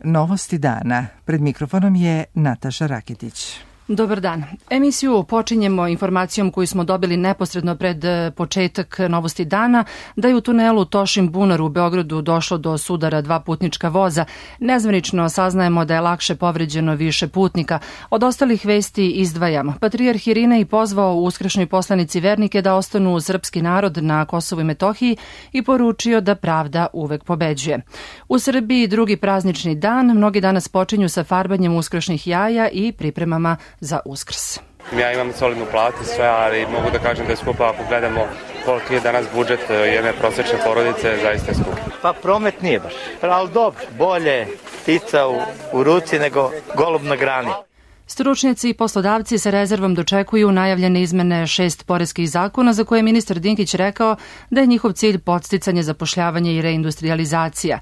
Novosti dana. Pred mikrofonom je Nataša Raketić. Dobar dan. Emisiju počinjemo informacijom koju smo dobili neposredno pred početak Novosti dana, da je u tunelu Tošin-Bunar u Beogradu došlo do sudara dva putnička voza. Nezvanično saznajemo da je lakše povređeno više putnika. Od ostalih vesti izdvajam. Patrijarh Irinej pozvao u uskršnjoj poslanici vernike da ostanu uz srpski narod na Kosovu i Metohiji i poručio da pravda uvek pobeđuje. U Srbiji drugi praznični dan, mnogi danas počinju sa farbanjem uskršnjih jaja i pripremama za Uskrs. Ja imam solidnu platu sve, ali mogu da kažem da je skupa ako gledamo koliki je danas budžet jedne prosečne porodice, zaista je skup. Pa promet nije baš, ali dobro, bolje ptica u ruci nego golub na grani. Stručnjaci i poslodavci sa rezervom dočekuju najavljene izmene 6 poreskih zakona za koje je ministar Dinkić rekao da je njihov cilj podsticanje, zapošljavanje i reindustrializacija.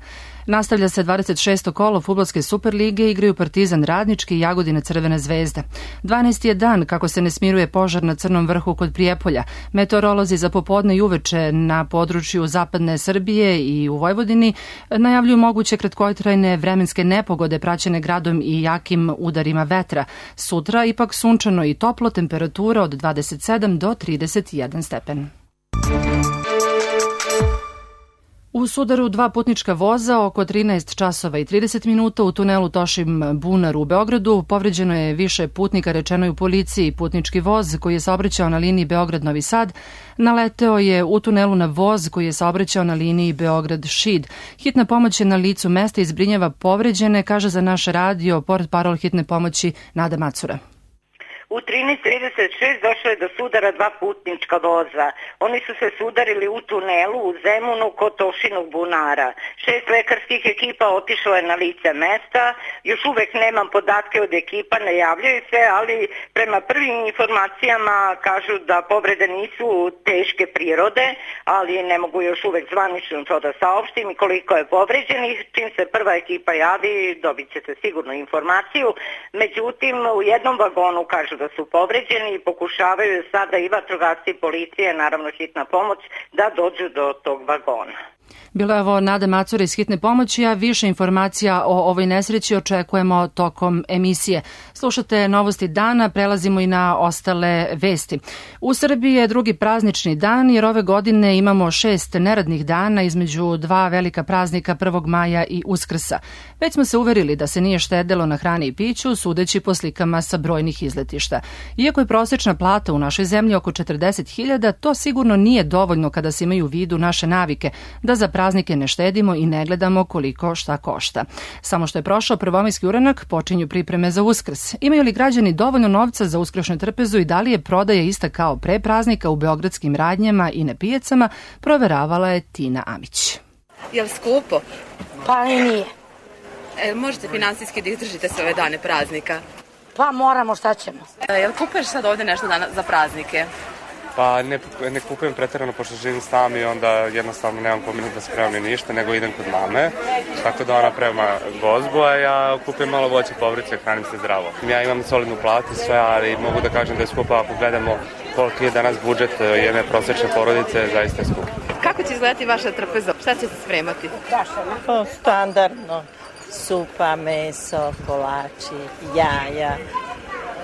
Nastavlja se 26. kolo fudbalske Superlige, igraju Partizan Radnički i Jagodina Crvena zvezda. 12. je dan kako se ne smiruje požar na Crnom vrhu kod Prijepolja. Meteorolozi za popodne i uveče na području zapadne Srbije i u Vojvodini najavljuju moguće kratkotrajne vremenske nepogode praćene gradom i jakim udarima vetra. Sutra ipak sunčano i toplo, temperatura od 27 do 31 stepen. U sudaru dva putnička voza oko 13 časova i 30 minuta u tunelu Tošin-Bunar u Beogradu povređeno je više putnika, rečeno je u policiji. Putnički voz koji je saobraćao na liniji Beograd-Novi Sad naleteo je u tunelu na voz koji je saobraćao na liniji Beograd-Šid. Hitna pomoć je na licu mesta i zbrinjava povređene, kaže za naš radio portparol hitne pomoći Nada Macura. U 13:36 došlo je do sudara dva putnička voza. Oni su se sudarili u tunelu u Zemunu kod Tošinog Bunara. 6 lekarskih ekipa otišlo je na lice mesta. Još uvek nemam podatke od ekipa, ne javljaju se, ali prema prvim informacijama kažu da povrede nisu teške prirode, ali ne mogu još uvek zvanično to da saopštim i koliko je povređenih. Čim se prva ekipa javi, dobit ćete sigurno informaciju. Međutim, u jednom vagonu kažu da su povređeni i pokušavaju sada i vatrogasci i policije, naravno hitna pomoć, da dođu do tog vagona. Bilo je ovo Nada Macura iz hitne pomoći, a više informacija o ovoj nesreći očekujemo tokom emisije. Slušate Novosti dana, prelazimo i na ostale vesti. U Srbiji je drugi praznični dan jer ove godine imamo 6 neradnih dana između dva velika praznika 1. maja i Uskrsa. Već smo se uverili da se nije štedelo na hrani i piću, sudeći po slikama sa brojnih izletišta. Iako je prosečna plata u našoj zemlji oko 40.000, to sigurno nije dovoljno kada se imaju u vidu naše navike, da za praznike ne štedimo i ne gledamo koliko šta košta. Samo što je prošao prvomajski uranak, počinju pripreme za Uskrs. Imaju li građani dovoljno novca za uskršnju trpezu i da li je prodaja ista kao pre praznika u beogradskim radnjama i na pijacama, proveravala je Tina Amić. Je li skupo? Pa i nije. Možete finansijski da izdržite sve ove dane praznika? Pa moramo, šta ćemo. Jel kupuješ sad ovde nešto za praznike? Pa ne kupujem preterano pošto živim sam i onda jednostavno nemam pominut da spremam ništa, nego idem kod mame, tako da ona prema gozbu, a ja kupujem malo voće, povrće, hranim se zdravo. Ja imam solidnu platu sve, ali mogu da kažem da je skupa ako gledamo koliki je danas budžet jedne prosečne porodice, zaista je skup. Kako će izgledati vaša trpeza? Šta ćete spremati? Pa standardno. Supa, meso, kolači, jaja,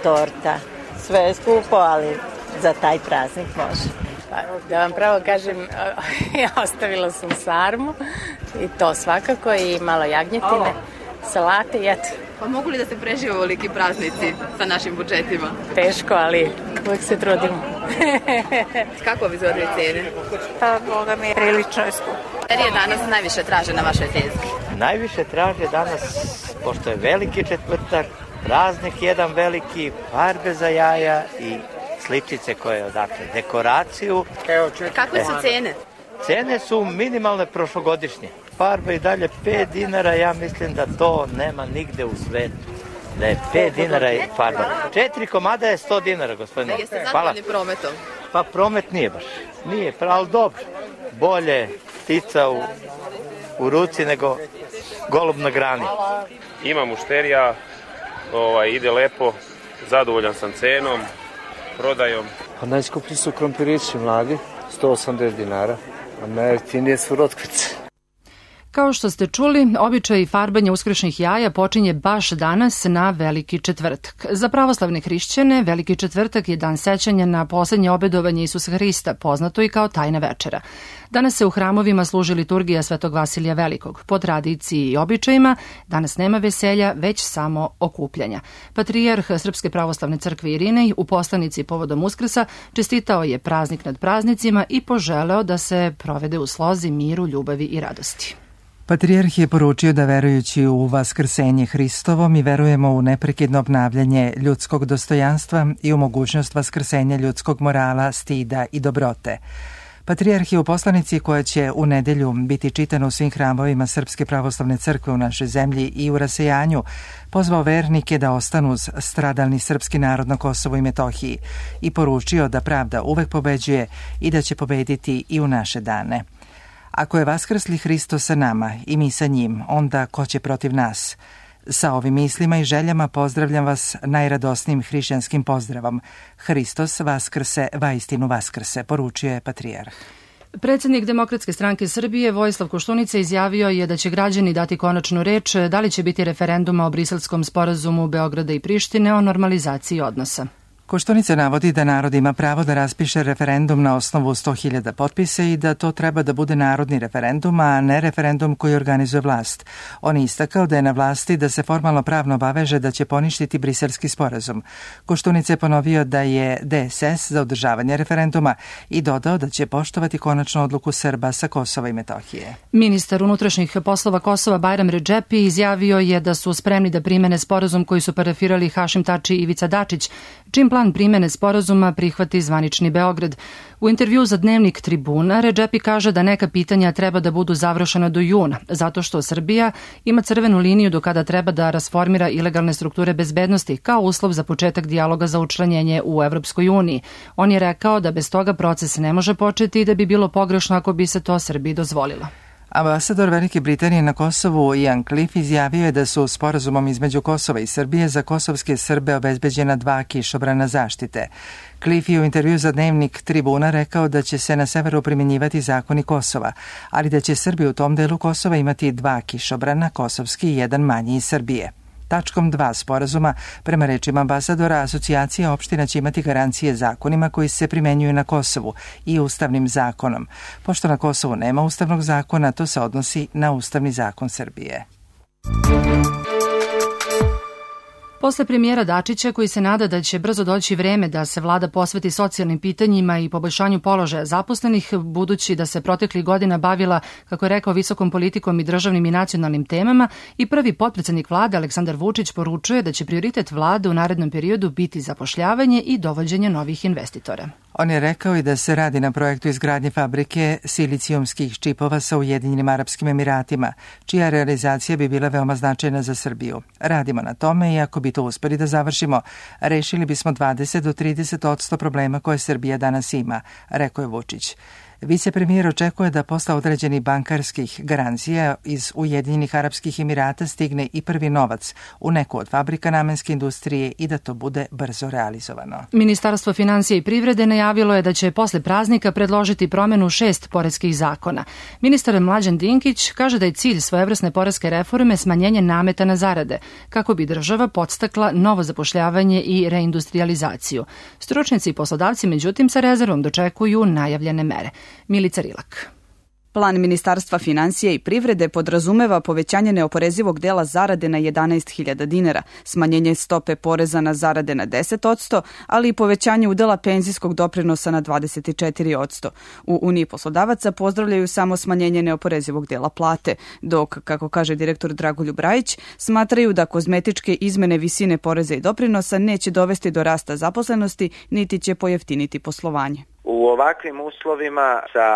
torta. Sve je skupo, ali za taj praznik može. Pa, da vam pravo kažem, ostavila sam sarmu i to svakako i malo jagnjetine, salate i eto. Pa mogu li da se prežive ovoliki praznici sa našim budžetima? Teško, ali uvijek se trudimo. Kako vi izgledaju cene? Pa, Boga mi, prilično je skupo. Jer je danas najviše traže na vašoj tezgi? Najviše traže danas, pošto je veliki četvrtak, praznik jedan veliki, farbe za jaja i sličice koje odakle, dekoraciju. Kakve su cene? Cene su minimalne prošlogodišnje. Farba i dalje 5 dinara, ja mislim da to nema nigde u svetu. Da je 5 dinara je farba. 4 komada je 100 dinara, gospodine. Jeste zadovoljni prometom? Pa promet nije baš. Nije, ali dobro. Bolje ptica u ruci nego golub na grani. Ima mušterija, ide lepo, zadovoljan sam cenom, prodajom. Pa najskuplji su krompirići mladi, 180 dinara, a najjeftinije su rotkvice. Kao što ste čuli, običaj farbanja uskršnjih jaja počinje baš danas na Veliki četvrtak. Za pravoslavne hrišćane, Veliki četvrtak je dan sećanja na poslednje obedovanje Isusa Hrista, poznato i kao tajna večera. Danas se u hramovima služi liturgija Svetog Vasilija Velikog. Po tradiciji i običajima, danas nema veselja, već samo okupljanja. Patrijarh Srpske pravoslavne crkve Irinej u poslanici povodom Uskrsa čestitao je praznik nad praznicima i poželeo da se provede u slozi, miru, ljubavi i radosti. Patrijarh je poručio da verujući u vaskrsenje Hristovo mi verujemo u neprekidno obnavljanje ljudskog dostojanstva i u mogućnost vaskrsenja ljudskog morala, stida i dobrote. Patrijarh je u poslanici koja će u nedelju biti čitana u svim hramovima Srpske pravoslavne crkve u našoj zemlji i u rasejanju pozvao vernike da ostanu uz stradalni srpski narod na Kosovu i Metohiji i poručio da pravda uvek pobeđuje i da će pobediti i u naše dane. Ako je vaskrsli Hristos sa nama i mi sa njim, onda ko će protiv nas? Sa ovim mislima i željama pozdravljam vas najradosnijim hrišćanskim pozdravom. Hristos vaskrse, vaistinu vaskrse, poručio je patrijarh. Predsednik Demokratske stranke Srbije Vojislav Koštunica izjavio je da će građani dati konačnu reč da li će biti referenduma o Briselskom sporazumu Beograda i Prištine o normalizaciji odnosa. Koštunica navodi da narod ima pravo da raspiše referendum na osnovu 100.000 potpisa i da to treba da bude narodni referendum, a ne referendum koji organizuje vlast. On je istakao da je na vlasti da se formalno pravno obaveže da će poništiti Briselski sporazum. Koštunica je ponovio da je DSS za održavanje referenduma i dodao da će poštovati konačnu odluku Srba sa Kosova i Metohije. Ministar unutrašnjih poslova Kosova Bajram Redžepi izjavio je da su spremni da primene sporazum koji su parafirali Hašim Tači i Ivica Dačić, čim plan primene sporazuma prihvati zvanični Beograd. U intervju za dnevnik Tribuna, Redžepi kaže da neka pitanja treba da budu završena do juna, zato što Srbija ima crvenu liniju do kada treba da rasformira ilegalne strukture bezbednosti kao uslov za početak dijaloga za učlanjenje u Evropskoj uniji. On je rekao da bez toga proces ne može početi i da bi bilo pogrešno ako bi se to Srbiji dozvolilo. Ambasador Velike Britanije na Kosovu Ian Cliff izjavio je da su sporazumom između Kosova i Srbije za kosovske Srbe obezbeđena 2 kišobrana zaštite. Cliff je u intervju za dnevnik Tribuna rekao da će se na severu primjenjivati zakoni Kosova, ali da će Srbi u tom delu Kosova imati 2 kišobrana, kosovski i 1 manji iz Srbije. Tačkom 2 sporazuma, prema rečima ambasadora, asocijacija opština će imati garancije zakonima koji se primenjuju na Kosovu i ustavnim zakonom. Pošto na Kosovu nema ustavnog zakona, to se odnosi na ustavni zakon Srbije. Posle premijera Dačića, koji se nada da će brzo doći vreme da se vlada posveti socijalnim pitanjima i poboljšanju položaja zaposlenih, budući da se proteklih godina bavila, kako je rekao, visokom politikom i državnim i nacionalnim temama, i prvi potpredsednik vlade Aleksandar Vučić poručuje da će prioritet vlade u narednom periodu biti zapošljavanje i dovođenje novih investitora. On je rekao i da se radi na projektu izgradnje fabrike silicijumskih čipova sa Ujedinjenim Arapskim Emiratima, čija realizacija bi bila veoma značajna za Srbiju. Radimo na tome i ako bi to uspeli da završimo, rešili bismo 20 do 30% problema koje Srbija danas ima, rekao je Vučić. Vicepremijer očekuje da posle određenih bankarskih garancija iz Ujedinjenih Arapskih Emirata stigne i prvi novac u neku od fabrika namenske industrije i da to bude brzo realizovano. Ministarstvo finansija i privrede najavilo je da će posle praznika predložiti promenu 6 poreskih zakona. Ministar Mlađan Dinkić kaže da je cilj svojevrsne poreske reforme smanjenje nameta na zarade, kako bi država podstakla novo zapošljavanje i reindustrializaciju. Stručnjaci i poslodavci, međutim, sa rezervom dočekuju najavljene mere. Milica Rilak. Plan Ministarstva finansija i privrede podrazumeva povećanje neoporezivog dela zarade na 11.000 dinara, smanjenje stope poreza na zarade na 10%, ali i povećanje udela penzijskog doprinosa na 24%. U Uniji poslodavaca pozdravljaju samo smanjenje neoporezivog dela plate, dok, kako kaže direktor Dragoljub Rajić, smatraju da kozmetičke izmene visine poreza i doprinosa neće dovesti do rasta zaposlenosti, niti će pojeftiniti poslovanje. U ovakvim uslovima sa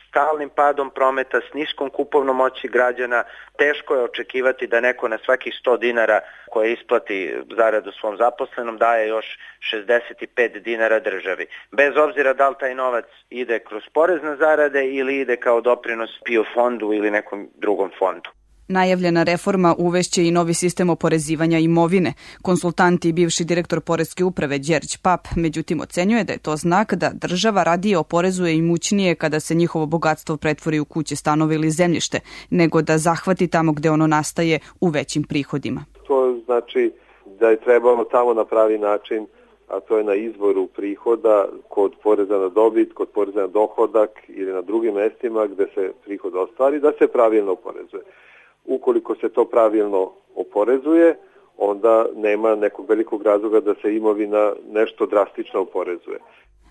stalnim padom prometa, s niskom kupovnom moći građana, teško je očekivati da neko na svakih 100 dinara koje isplati zaradu svom zaposlenom daje još 65 dinara državi. Bez obzira da li taj novac ide kroz porez na zarade ili ide kao doprinos PIO fondu ili nekom drugom fondu. Najavljena reforma uvešće i novi sistem oporezivanja imovine. Konsultant i bivši direktor Poreske uprave Đerđ Pap, međutim, ocenjuje da je to znak da država radije oporezuje imućnije kada se njihovo bogatstvo pretvori u kuće, stanove ili zemljište, nego da zahvati tamo gde ono nastaje u većim prihodima. To znači da je trebalo tamo na pravi način, a to je na izvoru prihoda, kod poreza na dobit, kod poreza na dohodak ili na drugim mestima gde se prihod ostvari, da se pravilno oporezuje. Ukoliko se to pravilno oporezuje, onda nema nekog velikog razloga da se imovina nešto drastično oporezuje.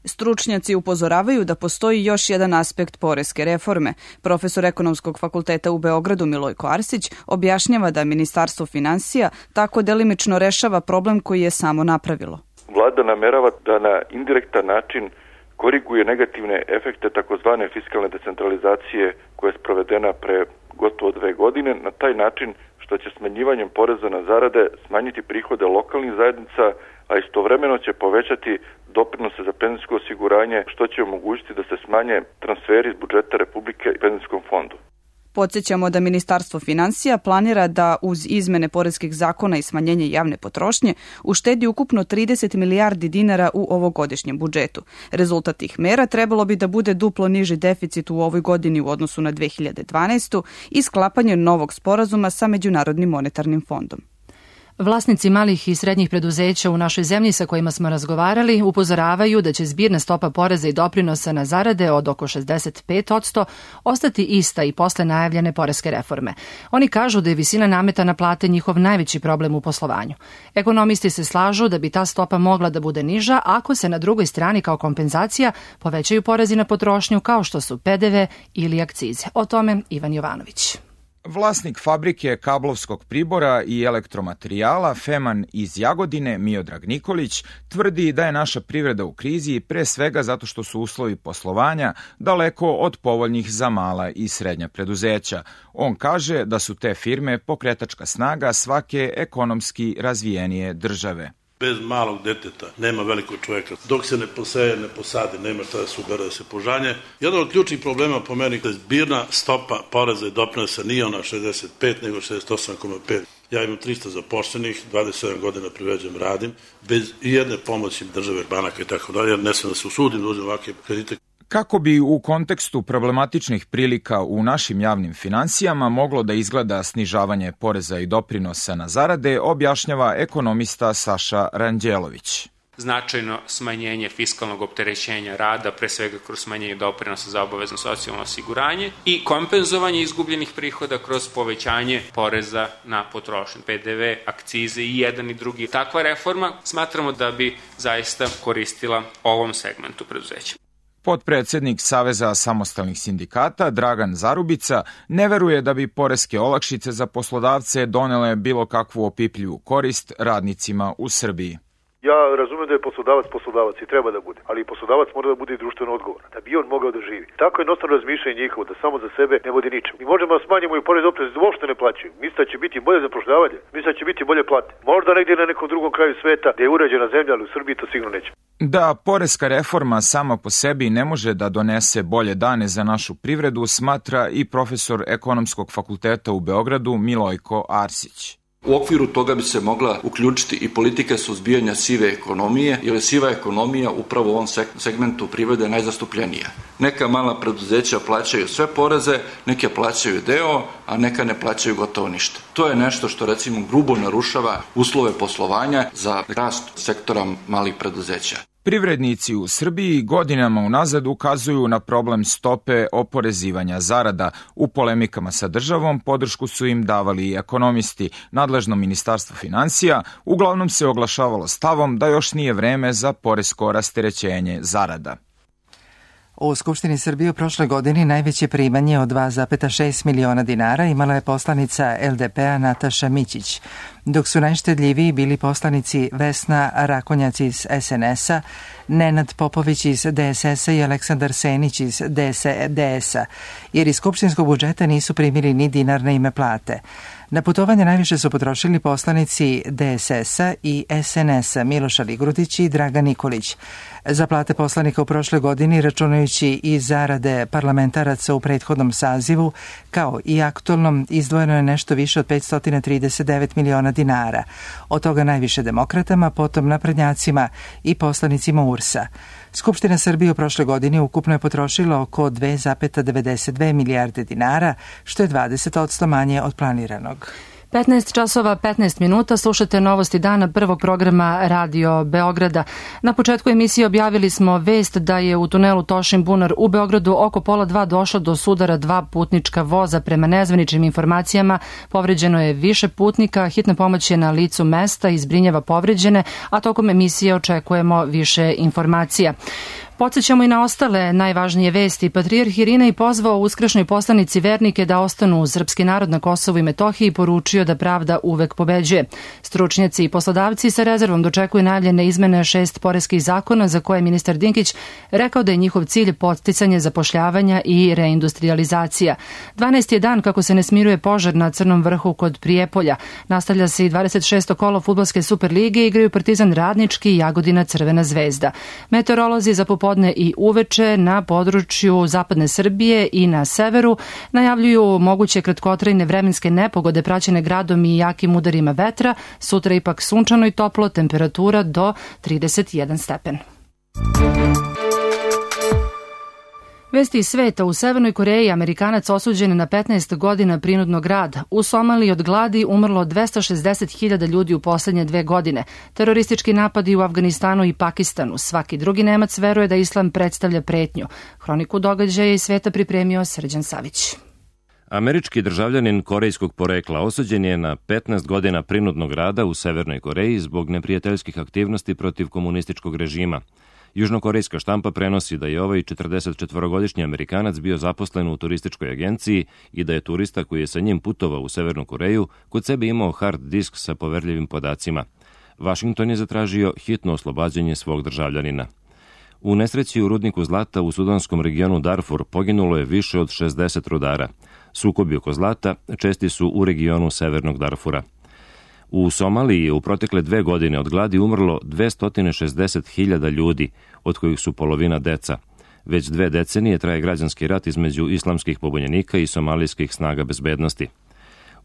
Stručnjaci upozoravaju da postoji još jedan aspekt poreske reforme. Profesor Ekonomskog fakulteta u Beogradu Milojko Arsić objašnjava da Ministarstvo finansija tako delimično rešava problem koji je samo napravilo. Vlada namerava da na indirektan način koriguje negativne efekte takozvane fiskalne decentralizacije koja je sprovedena pre gotovo 2 godine na taj način što će smanjivanjem poreza na zarade smanjiti prihode lokalnih zajednica, a istovremeno će povećati doprinose za penzijsko osiguranje, što će omogućiti da se smanje transferi iz budžeta Republike i penzijskom fondu. Podsjećamo da Ministarstvo finansija planira da uz izmene poreskih zakona i smanjenje javne potrošnje uštedi ukupno 30 milijardi dinara u ovogodišnjem budžetu. Rezultat tih mera trebalo bi da bude duplo niži deficit u ovoj godini u odnosu na 2012. i sklapanje novog sporazuma sa Međunarodnim monetarnim fondom. Vlasnici malih i srednjih preduzeća u našoj zemlji sa kojima smo razgovarali upozoravaju da će zbirna stopa poreza i doprinosa na zarade od oko 65% ostati ista i posle najavljene poreske reforme. Oni kažu da je visina nameta na plate njihov najveći problem u poslovanju. Ekonomisti se slažu da bi ta stopa mogla da bude niža ako se na drugoj strani kao kompenzacija povećaju porezi na potrošnju kao što su PDV ili akcize. O tome Ivan Jovanović. Vlasnik fabrike kablovskog pribora i elektromaterijala Feman iz Jagodine, Miodrag Nikolić, tvrdi da je naša privreda u krizi pre svega zato što su uslovi poslovanja daleko od povoljnih za mala i srednja preduzeća. On kaže da su te firme pokretačka snaga svake ekonomski razvijenije države. Bez malog deteta nema velikog čovjeka. Dok se ne poseje, ne posade, nema šta da se ubere, da se požanje. Jedan od ključnih problema po meni je zbirna stopa poreza i doprinosa nije ona 65, nego 68,5. Ja imam 300 zaposlenih, 27 godina privređujem, radim, bez jedne pomoći države, banaka i tako dalje, ne sam da se usudim da uzem ovakve kredite. Kako bi u kontekstu problematičnih prilika u našim javnim finansijama moglo da izgleda snižavanje poreza i doprinosa na zarade, objašnjava ekonomista Saša Ranđelović. Značajno smanjenje fiskalnog opterećenja rada, pre svega kroz smanjenje doprinosa za obavezno socijalno osiguranje i kompenzovanje izgubljenih prihoda kroz povećanje poreza na potrošnju, PDV, akcize i jedan i drugi. Takva reforma smatramo da bi zaista koristila ovom segmentu preduzeća. Potpredsednik Saveza samostalnih sindikata Dragan Zarubica ne veruje da bi poreske olakšice za poslodavce donele bilo kakvu opipljivu korist radnicima u Srbiji. Ja razumem da je poslodavac i treba da bude, ali i poslodavac mora da bude i društveno odgovoran, da bi on mogao da živi. Tako je jednostavno razmišljanje njihovo, da samo za sebe ne vodi ničem. Mi možemo da smanjimo i porez i doprinos da uopšte ne plaćaju. Misle da će biti bolje zapošljavanje, misle da će biti bolje plate. Možda negdje na nekom drugom kraju sveta gde je uređena zemlja, ali u Srbiji to sigurno neće. Da poreska reforma sama po sebi ne može da donese bolje dane za našu privredu, smatra i profesor Ekonomskog fakulteta u Beogradu Milojko Arsić. U okviru toga bi se mogla uključiti i politika suzbijanja sive ekonomije, jer je siva ekonomija upravo u ovom segmentu privrede najzastupljenija. Neka mala preduzeća plaćaju sve poreze, neke plaćaju deo, a neka ne plaćaju gotovo ništa. To je nešto što recimo grubo narušava uslove poslovanja za rast sektora malih preduzeća. Privrednici u Srbiji godinama unazad ukazuju na problem stope oporezivanja zarada. U polemikama sa državom podršku su im davali i ekonomisti. Nadležno Ministarstvo finansija uglavnom se oglašavalo stavom da još nije vreme za poresko rasterećenje zarada. U Skupštini Srbije u prošloj godini najveće primanje od 2,6 miliona dinara imala je poslanica LDP-a Nataša Mićić, dok su najštedljiviji bili poslanici Vesna Rakonjac iz SNS-a, Nenad Popović iz DSS-a i Aleksandar Senić iz DS-a, jer iz skupštinskog budžeta nisu primili ni dinar na ime plate. Na putovanje najviše su potrošili poslanici DSS-a i SNS-a Miloš Aligrudić i Dragan Nikolić. Za plate poslanika u prošloj godini, računajući i zarade parlamentaraca u prethodnom sazivu, kao i aktualnom, izdvojeno je nešto više od 539 miliona dinara. Od toga najviše demokratama, potom naprednjacima i poslanicima URS-a. Skupština Srbije u prošloj godini ukupno je potrošila oko 2,92 milijarde dinara, što je 20% manje od planiranog. 15 časova 15 minuta, slušate novosti dana prvog programa Radio Beograda. Na početku emisije objavili smo vest da je u tunelu Tošin Bunar u Beogradu oko 1:30 došlo do sudara 2 putnička voza. Prema nezvaničnim informacijama povređeno je više putnika, hitna pomoć je na licu mesta i zbrinjava povređene, a tokom emisije očekujemo više informacija. Podsećamo i na ostale najvažnije vesti. Patrijarh Irinej pozvao uskršnjoj poslanici vernike da ostanu uz srpski narod na Kosovu i Metohiji i poručio da pravda uvek pobeđuje. Stručnjaci i poslodavci sa rezervom dočekuju najavljene izmene 6 poreskih zakona za koje je ministar Dinkić rekao da je njihov cilj podsticanje zapošljavanja i reindustrializacija. 12 je dan kako se ne smiruje požar na Crnom vrhu kod Prijepolja. Nastavlja se i 26. kolo fudbalske Superlige, igraju Partizan Radnički i Jagodina Crvena zvezda. Meteorolozi za popodne i uveče na području zapadne Srbije i na severu najavljuju moguće kratkotrajne vremenske nepogode praćene gradom i jakim udarima vetra. Sutra ipak sunčano i toplo, temperatura do 31 stepen. Vesti iz sveta. U Severnoj Koreji Amerikanac osuđen na 15 godina prinudnog rada. U Somaliji od gladi umrlo 260.000 ljudi u poslednje 2 godine. Teroristički napadi u Afganistanu i Pakistanu. Svaki drugi Nemac veruje da islam predstavlja pretnju. Hroniku događaja iz sveta pripremio Srđan Savić. Američki državljanin korejskog porekla osuđen je na 15 godina prinudnog rada u Severnoj Koreji zbog neprijateljskih aktivnosti protiv komunističkog režima. Južnokorejska štampa prenosi da je ovaj 44-godišnji Amerikanac bio zaposlen u turističkoj agenciji i da je turista koji je sa njim putovao u Severnu Koreju kod sebe imao hard disk sa poverljivim podacima. Washington je zatražio hitno oslobađanje svog državljanina. U nesreći u rudniku zlata u sudanskom regionu Darfur poginulo je više od 60 rudara. Sukobi oko zlata česti su u regionu severnog Darfura. U Somaliji je u protekle 2 godine od gladi umrlo 260.000 ljudi, od kojih su polovina deca. Već 2 decenije traje građanski rat između islamskih pobunjenika i somalijskih snaga bezbednosti.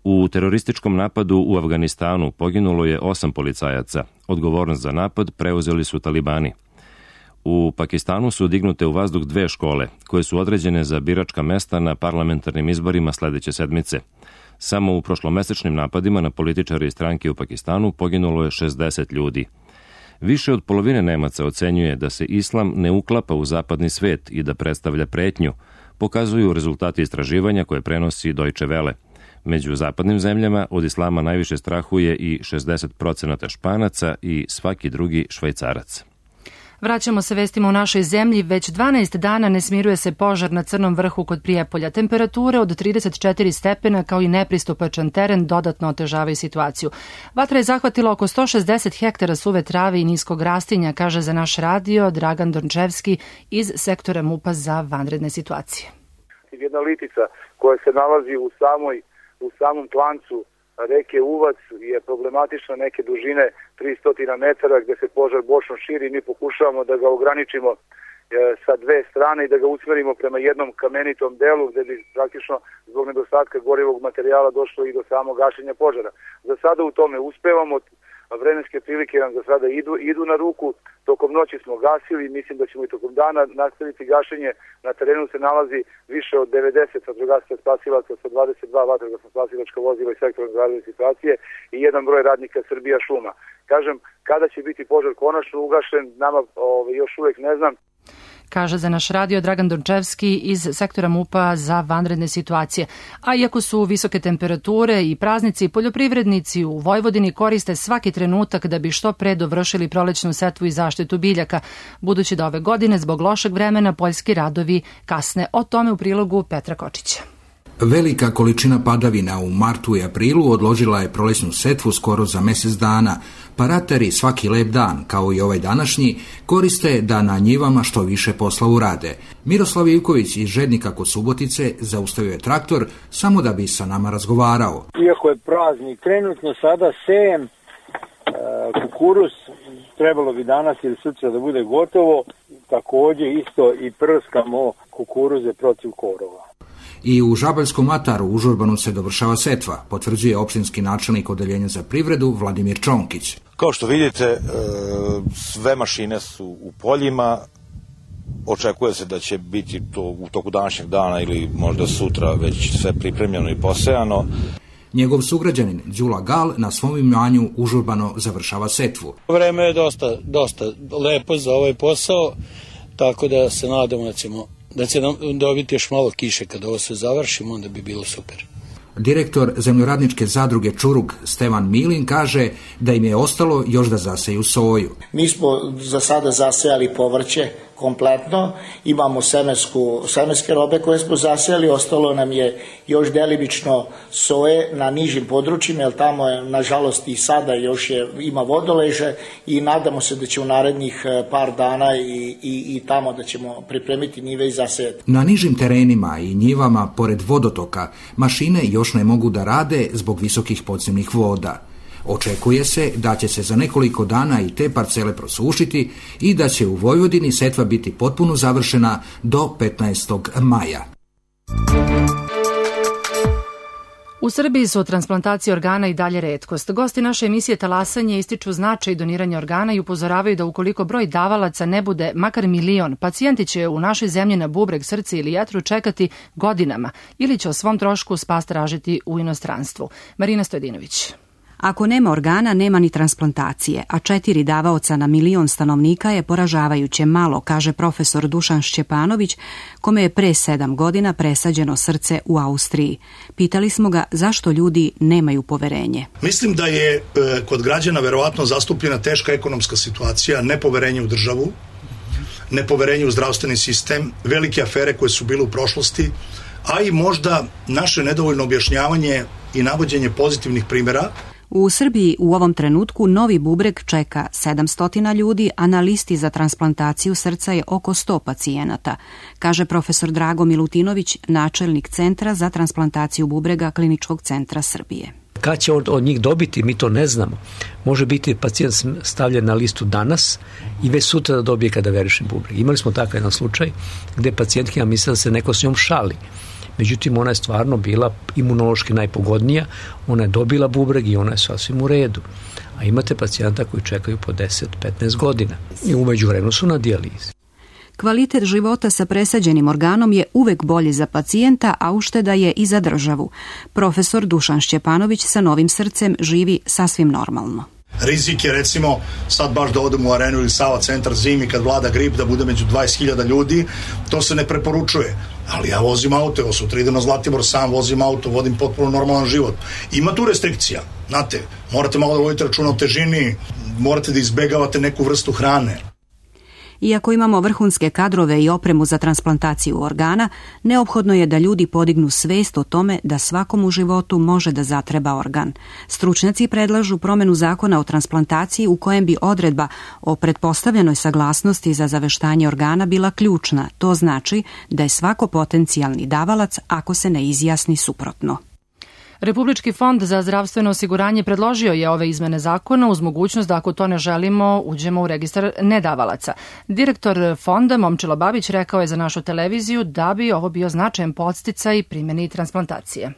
U terorističkom napadu u Afganistanu poginulo je 8 policajaca. Odgovornost za napad preuzeli su talibani. U Pakistanu su dignute u vazduh 2 škole, koje su određene za biračka mesta na parlamentarnim izborima sledeće sedmice. Samo u prošlomesečnim napadima na političare i stranke u Pakistanu poginulo je 60 ljudi. Više od polovine Nemaca ocenjuje da se islam ne uklapa u zapadni svet i da predstavlja pretnju, pokazuju rezultati istraživanja koje prenosi Deutsche Welle. Među zapadnim zemljama od islama najviše strahuje i 60% Španaca i svaki drugi Švajcarac. Vraćamo se vestima u našoj zemlji. Već 12 dana ne smiruje se požar na Crnom vrhu kod Prijepolja. Temperature od 34 stepena kao i nepristupačan teren dodatno otežavaju situaciju. Vatra je zahvatila oko 160 hektara suve trave i niskog rastinja, kaže za naš radio Dragan Dončevski iz sektora MUP-a za vanredne situacije. Jedna litica koja se nalazi u samom klancu reke Uvac je problematična neke dužine 300 metara gde se požar bočno širi. Mi pokušavamo da ga ograničimo sa 2 strane i da ga usmerimo prema jednom kamenitom delu gde bi praktično zbog nedostatka gorivog materijala došlo i do samog gašenja požara. Za sada u tome uspevamo, vremenske prilike nam za sada idu na ruku. Tokom noći smo gasili, mislim da ćemo i tokom dana nastaviti gašenje. Na terenu se nalazi više od 90 vatrogasaca spasilaca sa 22 vatrogasna spasilačka vozila i sektora za vanredne situacije i jedan broj radnika Srbija šuma. Kažem, kada će biti požar konačno ugašen, nama još uvek ne znam. Kaže za naš radio Dragan Dončevski iz sektora MUP-a za vanredne situacije. A iako su visoke temperature i praznici, poljoprivrednici u Vojvodini koriste svaki trenutak da bi što pre dovršili prolećnu setvu i zaštitu biljaka, budući da ove godine zbog lošeg vremena poljski radovi kasne. O tome u prilogu Petra Kočića. Velika količina padavina u martu i aprilu odložila je prolesnu setvu skoro za mjesec dana, pa ratari svaki lep dan, kao i ovaj današnji, koriste da na njivama što više posla urade. Miroslav Ivković iz Žednika kod Subotice zaustavio je traktor samo da bi sa nama razgovarao. Iako je praznik, trenutno sada sejem kukuruz, trebalo bi danas ili sutra da bude gotovo, također isto i prskamo kukuruze protiv korova. I u Žabaljskom ataru u Žurbanu se dovršava setva, potvrđuje opštinski načelnik odeljenja za privredu Vladimir Čonkić. Kao što vidite, sve mašine su u poljima, očekuje se da će biti to u toku današnjeg dana ili možda sutra već sve pripremljeno i posejano. Njegov sugrađanin Đula Gal na svom imanju užurbano završava setvu. Vreme je dosta lepo za ovaj posao, tako da se nadamo da će nam dobiti još malo kiše kada ovo se završimo, onda bi bilo super. Direktor zemljoradničke zadruge Čurug Stevan Milin kaže da im je ostalo još da zaseju soju. Mi smo za sada zasejali povrće kompletno, imamo semenske robe koje smo zasejali, ostalo nam je još delimično soje na nižim područjima, jer tamo je nažalost i sada još ima vodoleže i nadamo se da će u narednih par dana i tamo da ćemo pripremiti njive i zasejati. Na nižim terenima i njivama pored vodotoka mašine još ne mogu da rade zbog visokih podzemnih voda. Očekuje se da će se za nekoliko dana i te parcele prosušiti i da će u Vojvodini setva biti potpuno završena do 15. maja. U Srbiji su transplantacije organa i dalje retkost. Gosti naše emisije Talasanje ističu značaj doniranja organa i upozoravaju da ukoliko broj davalaca ne bude makar 1.000.000, pacijenti će u našoj zemlji na bubreg, srce ili jetru čekati godinama ili će o svom trošku spas tražiti u inostranstvu. Marina Stojedinović. Ako nema organa, nema ni transplantacije, a 4 davaoca na 1.000.000 stanovnika je poražavajuće malo, kaže profesor Dušan Šćepanović, kome je pre 7 godina presađeno srce u Austriji. Pitali smo ga zašto ljudi nemaju poverenje. Mislim da je kod građana verovatno zastupljena teška ekonomska situacija, nepoverenje u državu, nepoverenje u zdravstveni sistem, velike afere koje su bile u prošlosti, a i možda naše nedovoljno objašnjavanje i navođenje pozitivnih primjera. U Srbiji u ovom trenutku novi bubreg čeka 700 ljudi, a na listi za transplantaciju srca je oko 100 pacijenata, kaže profesor Drago Milutinović, načelnik Centra za transplantaciju bubrega Kliničkog centra Srbije. Kad će on od njih dobiti, mi to ne znamo. Može biti pacijent stavljen na listu danas i već sutra da dobije kada veriše bubreg. Imali smo takav jedan slučaj gde pacijentkinja mislila da se neko s njom šali. Međutim, ona je stvarno bila imunološki najpogodnija, ona je dobila bubreg i ona je sasvim u redu. A imate pacijenta koji čekaju po 10-15 godina i u međuvremenu su na dijalizi. Kvalitet života sa presađenim organom je uvek bolji za pacijenta, a ušteda je i za državu. Profesor Dušan Šćepanović sa novim srcem živi sasvim normalno. Rizik je recimo sad baš da odem u Arenu ili Sava centar zimi kad vlada grip da bude među 20.000 ljudi, to se ne preporučuje. Ali ja vozim auto, evo sutra idem na Zlatibor, sam vozim auto, vodim potpuno normalan život. Ima tu restrikcija, znate, morate malo da vodite računa o težini, morate da izbegavate neku vrstu hrane. Iako imamo vrhunske kadrove i opremu za transplantaciju organa, neophodno je da ljudi podignu svest o tome da svakom u životu može da zatreba organ. Stručnjaci predlažu promenu zakona o transplantaciji u kojem bi odredba o pretpostavljenoj saglasnosti za zaveštanje organa bila ključna. To znači da je svako potencijalni davalac ako se ne izjasni suprotno. Republički fond za zdravstveno osiguranje predložio je ove izmene zakona uz mogućnost da ako to ne želimo uđemo u registar nedavalaca. Direktor fonda Momčilo Babić rekao je za našu televiziju da bi ovo bio značajan podsticaj primjeni transplantacije.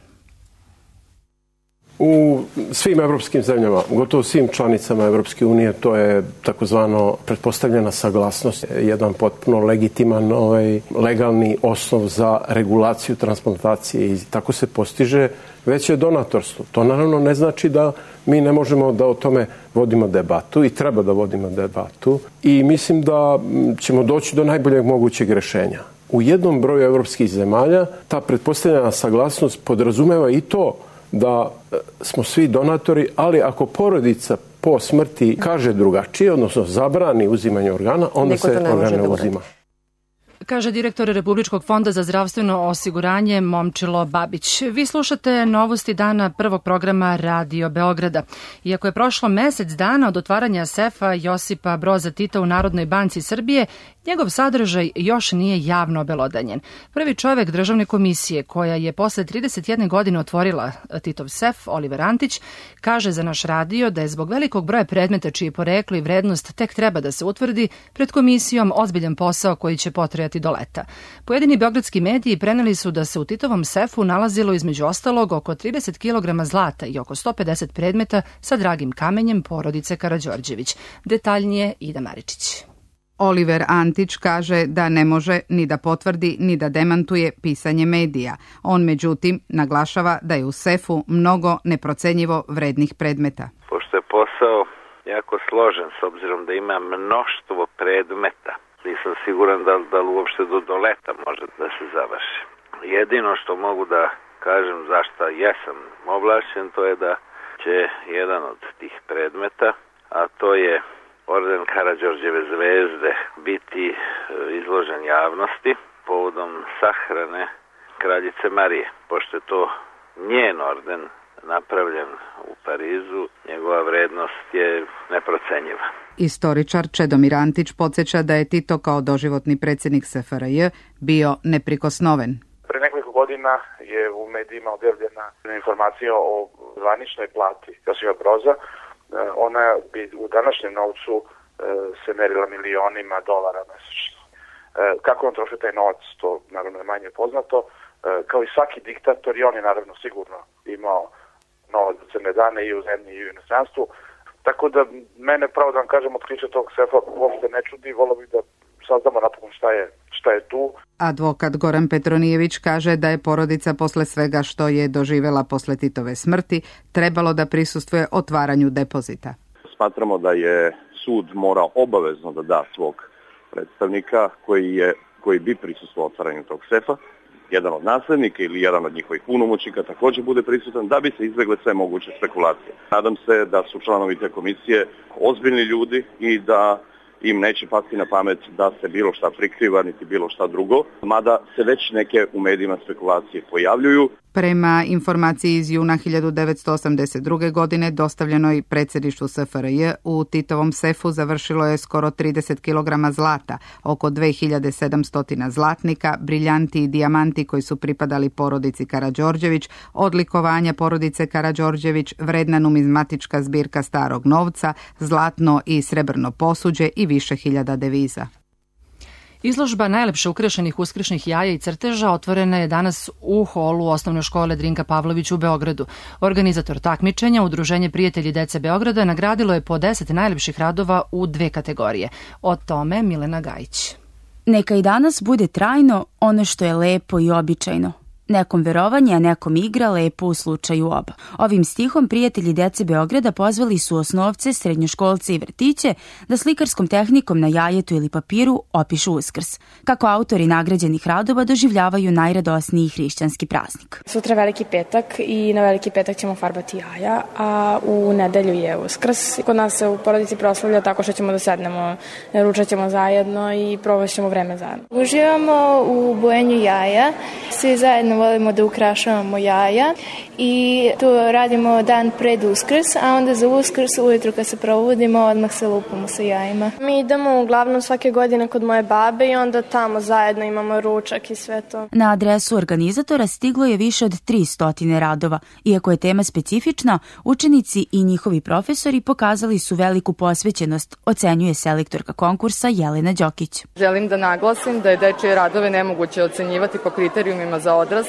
U svim evropskim zemljama, gotovo svim članicama Evropske unije, to je takozvano pretpostavljena saglasnost, jedan potpuno legitiman legalni osnov za regulaciju transplantacije i tako se postiže veće donatorstvo. To naravno ne znači da mi ne možemo da o tome vodimo debatu i treba da vodimo debatu i mislim da ćemo doći do najboljeg mogućeg rešenja. U jednom broju evropskih zemalja ta pretpostavljena saglasnost podrazumeva i to da smo svi donatori, ali ako porodica po smrti kaže drugačije, odnosno zabrani uzimanje organa, onda se organ ne uzima. kaže direktor Republičkog fonda za zdravstveno osiguranje Momčilo Babić. Vi slušate novosti dana prvog programa Radio Beograda. Iako je prošlo mesec dana od otvaranja sefa Josipa Broza Tita u Narodnoj banci Srbije, njegov sadržaj još nije javno obelodanjen. Prvi čovek državne komisije koja je posle 31 godine otvorila Titov sef, Oliver Antić, kaže za naš radio da je zbog velikog broja predmeta čiji poreklo i vrednost tek treba da se utvrdi pred komisijom ozbiljan posao koji će potrajati do leta. Pojedini beogradski mediji preneli su da se u Titovom sefu nalazilo između ostalog oko 30 kg zlata i oko 150 predmeta sa dragim kamenjem porodice Karađorđević. Detaljnije Ida Maričić. Oliver Antić kaže da ne može ni da potvrdi ni da demantuje pisanje medija. On međutim naglašava da je u sefu mnogo neprocenjivo vrednih predmeta. Pošto je posao jako složen s obzirom da ima mnoštvo predmeta, nisam siguran da uopšte do leta može da se završi. Jedino što mogu da kažem zašto jesam ovlašćen, to je da će jedan od tih predmeta, a to je orden Karađorđeve zvezde, biti izložen javnosti povodom sahrane kraljice Marije. Pošto je to njen orden napravljen u Parizu, njegova vrednost je neprocenjiva. Istoričar Čedomir Antić podsjeća da je Tito kao doživotni predsjednik SFRJ bio neprikosnoven. Pre nekoliko godina je u medijima objavljena informacija o zvaničnoj plati Josipa Broza. Ona bi u današnjem novcu se merila milionima dolara mesečno. Kako on troši taj novac, to naravno je manje poznato. Kao i svaki diktator, i on je naravno sigurno imao novac za crne dane i u zemlji i u inostranstvu. Tako da mene, pravo da vam kažem, otkriće tog sefa uopšte ne čudi, volio bih da saznamo napokon šta je tu. Advokat Goran Petronijević kaže da je porodica posle svega što je doživela posle Titove smrti trebalo da prisustvuje otvaranju depozita. Smatramo da je sud morao obavezno da da svog predstavnika koji bi prisustvovao otvaranju tog sefa. Jedan od naslednika ili jedan od njihovih punomoćnika također bude prisutan da bi se izbegle sve moguće spekulacije. Nadam se da su članovi te komisije ozbiljni ljudi i da im neće pasti na pamet da se bilo šta prikriva, niti bilo šta drugo, mada se već neke u medijima spekulacije pojavljuju. Prema informaciji iz juna 1982. godine dostavljenoj predsjedništvu SFRJ, u Titovom sefu završilo je skoro 30 kg zlata, oko 2700 zlatnika, briljanti i dijamanti koji su pripadali porodici Karađorđević, odlikovanja porodice Karađorđević, vredna numizmatička zbirka starog novca, zlatno i srebrno posuđe i više hiljada deviza. Izložba najlepše ukrašenih uskršnjih jaja i crteža otvorena je danas u holu osnovne škole Drinka Pavlović u Beogradu. Organizator takmičenja, Udruženje prijatelji dece Beograda, nagradilo je po 10 najlepših radova u 2 kategorije. O tome Milena Gajić. Neka i danas bude trajno ono što je lepo i običajno. Nekom verovanje, a nekom igra, lepo u slučaju oba. Ovim stihom prijatelji dece Beograda pozvali su osnovce, srednjoškolce i vrtiće da slikarskom tehnikom na jajetu ili papiru opišu Uskrs. Kako autori nagrađenih radova doživljavaju najradosniji hrišćanski praznik. Sutra Veliki petak i na Veliki petak ćemo farbati jaja, a u nedelju je Uskrs. Kod nas se u porodici proslavlja tako što ćemo da sednemo, ručat ćemo zajedno i provaćemo vreme zajedno. Uživamo u bojenju jaja, svi zajedno volimo da ukrašavamo jaja i tu radimo dan pred Uskrs, a onda za Uskrs ujutru kad se probudimo odmah se lupamo sa jajima. Mi idemo uglavnom svake godine kod moje babe i onda tamo zajedno imamo ručak i sve to. Na adresu organizatora stiglo je više od 300 radova. Iako je tema specifična, učenici i njihovi profesori pokazali su veliku posvećenost, ocenjuje selektorka konkursa Jelena Đokić. Želim da naglasim da je dečije radove nemoguće ocenjivati po kriterijumima za odrasle,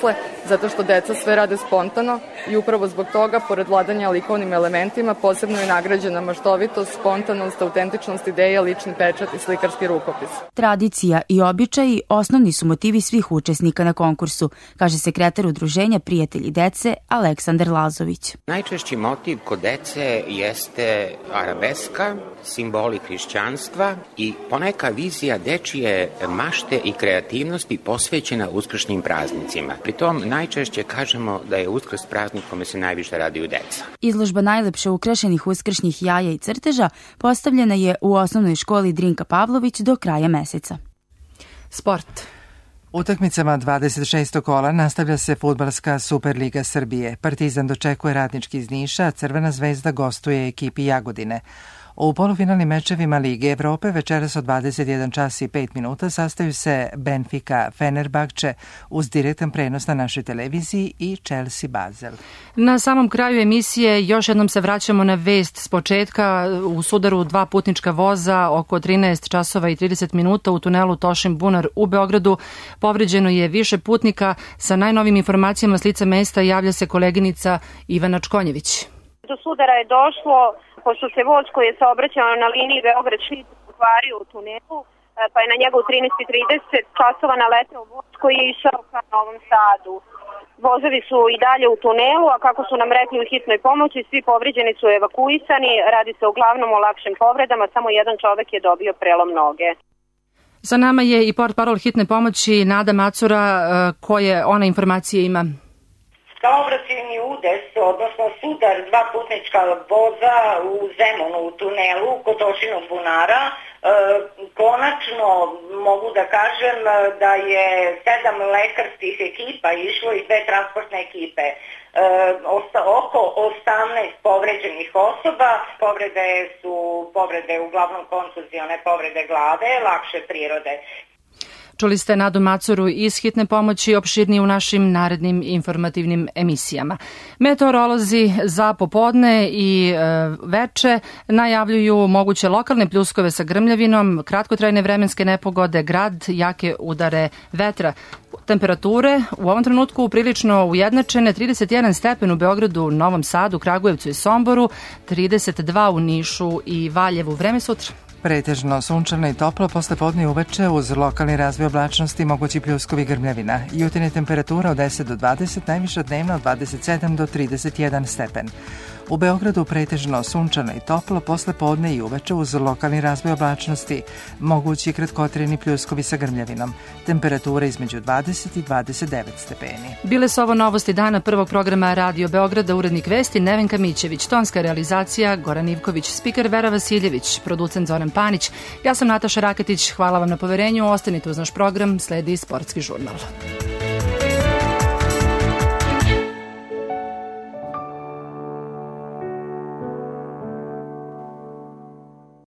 zato što deca sve rade spontano i upravo zbog toga, pored vladanja likovnim elementima, posebno je nagrađena maštovitost, spontanost, autentičnost ideja, lični pečat i slikarski rukopis. Tradicija i običaji osnovni su motivi svih učesnika na konkursu, kaže sekretar Udruženja prijatelji dece Aleksandar Lazović. Najčešći motiv kod dece jeste arabeska, simboli hrišćanstva i poneka vizija dečije mašte i kreativnosti posvećena uskršnjim praznicima. Pritom najčešće kažemo da je Uskrs praznik kome se najviše raduju deca. Izložba najlepše ukrašenih uskršnjih jaja i crteža postavljena je u osnovnoj školi Drinka Pavlović do kraja meseca. Sport. Utakmicama 26. kola nastavlja se fudbalska Superliga Srbije. Partizan dočekuje Radnički iz Niša, a Crvena zvezda gostuje ekipi Jagodine. U polufinalnim mečevima Lige Evrope večeras od 21 čas i 5 minuta sastaju se Benfica Fenerbahče uz direktan prenos na našoj televiziji i Chelsea Basel. Na samom kraju emisije još jednom se vraćamo na vest s početka. U sudaru 2 putnička voza oko 13 časova i 30 minuta u tunelu Tošin Bunar u Beogradu povređeno je više putnika. Sa najnovim informacijama s lica mesta javlja se koleginica Ivana Čkonjević. Do sudara je došlo pošto se voz koji je saobraćao na liniji Beograd-Šid ukvario u tunelu, pa je na njega u 13:30 časova naleteo voz koji je išao ka Novom Sadu. Vozovi su i dalje u tunelu, a kako su nam rekli u hitnoj pomoći, svi povređeni su evakuisani, radi se uglavnom o lakšim povredama, samo jedan čovek je dobio prelom noge. Sa nama je i portparol hitne pomoći Nada Macura, koje ona informacije ima. Saobraćajni udes, odnosno sudar 2 putnička voza u Zemunu u tunelu kod Tošinog bunara. Konačno mogu da kažem da je 7 lekarskih ekipa išlo i 2 transportne ekipe. Oko 18 povređenih osoba, povrede su uglavnom kontuzione povrede glave, lakše prirode. Čuli ste Nadu Macuru iz hitne pomoći, opširnije u našim narednim informativnim emisijama. Meteorolozi za popodne i veče najavljuju moguće lokalne pljuskove sa grmljavinom, kratkotrajne vremenske nepogode, grad, jake udare vetra. Temperature u ovom trenutku prilično ujednačene, 31 stepen u Beogradu, Novom Sadu, Kragujevcu i Somboru, 32 u Nišu i Valjevu. Vreme sutra. Pretežno sunčano i toplo, posle podne i uveče uz lokalni razvoj oblačnosti mogući pljuskovi grmljavina. Jutarnja temperatura od 10 do 20, najviša dnevna od 27 do 31 stepen. U Beogradu pretežno sunčano i toplo, posle podne i uveče uz lokalni razvoj oblačnosti mogući kratkotrajni pljuskovi sa grmljavinom. Temperatura između 20 i 29 stepeni. Bile su ovo novosti dana prvog programa Radio Beograda, urednik vesti Nevenka Mićević, tonska realizacija Goran Ivković, spiker Vera Vasiljević, producent Zoran Panić. Ja sam Nataša Raketić, hvala vam na poverenju, ostanite uz naš program, sledi Sportski žurnal.